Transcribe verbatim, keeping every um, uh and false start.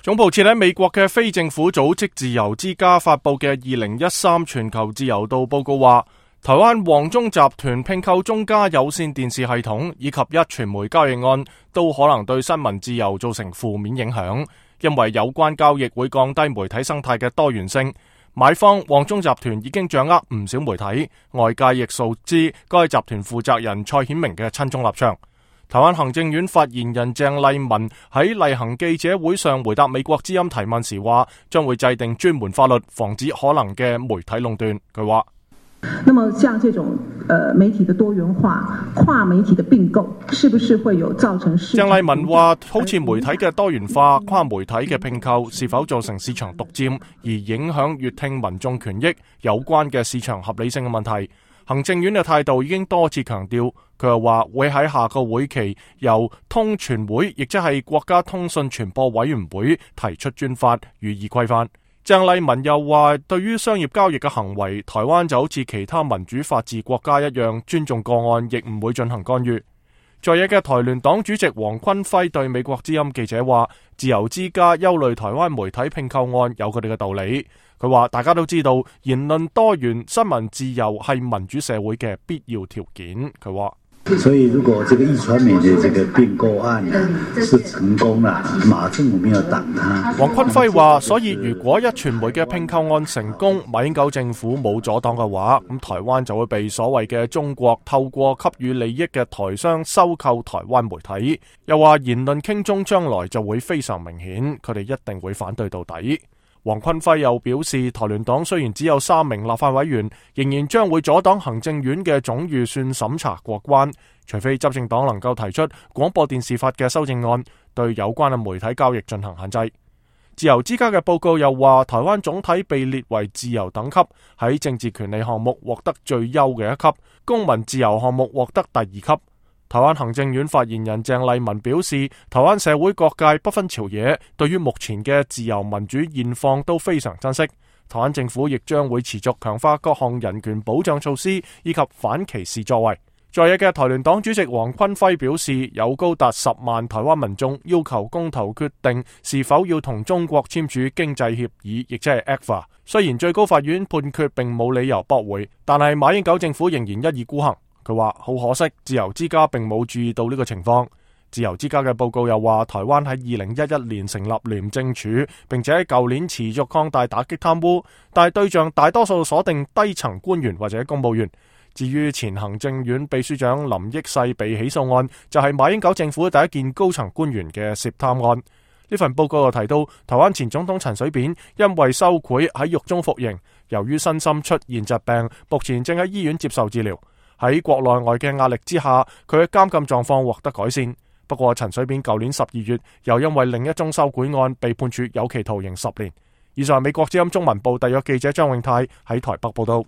總部設喺美國嘅非政府組織自由之家發佈嘅二零一三全球自由度報告話，台灣旺中集團併購中嘉有線電視系統以及一傳媒交易案都可能對新聞自由造成負面影響，因為有關交易會降低媒體生態嘅多元性。買方旺中集團已經掌握唔少媒體，外界亦熟知該集團負責人蔡顯明嘅親中立場。台灣行政院發言人鄭麗文喺例行記者會上回答美國之音提問時話，將會制定專門法律防止可能嘅媒體壟斷。佢話：那麼像這種呃媒體的多元化、跨媒體的併購，是不是會有造成市場？鄭麗文話，好似媒體嘅多元化、跨媒體嘅併購，是否造成市場獨佔而影響閱聽民眾權益有關嘅市場合理性嘅問題？行政院嘅態度已經多次強調，佢又話會喺下個會期由通傳會，亦即係國家通訊傳播委員會提出專法予以規範。鄭麗文又話，對於商業交易嘅行為，台灣就好似其他民主法治國家一樣，尊重個案，亦唔會進行干預。在野嘅台聯黨主席黃坤輝對美國之音記者話，自由之家憂慮台灣媒體併購案有佢哋嘅道理。佢話大家都知道言論多元、新聞自由係民主社會嘅必要條件。佢話，所以如果這個壹傳媒的這個併購案是成功啦，馬政府沒有擋他。黃坤輝話，所以如果壹傳媒嘅併購案成功，馬英九政府冇阻擋嘅話，咁台灣就會被所謂嘅中國透過給予利益嘅台商收購台灣媒體。又話言論傾中將來就會非常明顯，佢哋一定會反對到底。黃坤輝又表示，台聯黨雖然只有三名立法委員，仍然將會阻擋行政院嘅總預算審查過關，除非執政黨能夠提出廣播電視法嘅修正案，對有關嘅媒體交易進行限制。自由之家嘅報告又話，台灣總體被列為自由等級，喺政治權利項目獲得最優嘅一級，公民自由項目獲得第二級。台灣行政院發言人鄭麗文表示，台灣社會各界不分朝野，對於目前嘅自由民主現況都非常珍惜。台灣政府亦將會持續強化各項人權保障措施以及反歧視作為。在野嘅台聯黨主席黃坤輝表示，有高達十萬台灣民眾要求公投決定是否要同中國簽署經濟協議，亦即係 E C F A。雖然最高法院判決並冇理由駁回，但係馬英九政府仍然一意孤行。佢話好可惜，自由之家並冇注意到呢個情況。自由之家嘅報告又話，台灣喺二零一一年成立廉政署，並且喺舊年持續擴大打擊貪污，但係對象大多數鎖定低層官員或者公務員。至於前行政院秘書長林益世被起訴案，就係、是、馬英九政府第一件高層官員嘅涉貪案。呢份報告又提到，台灣前總統陳水扁因為收賄喺獄中服刑，由於身心出現疾病，目前正喺醫院接受治療。喺國內外嘅壓力之下，佢嘅監禁狀況獲得改善。不過陳水扁舊年十二月又因為另一宗收賄案被判處有期徒刑十年。以上係美國之音中文部特約記者張永泰喺台北報道。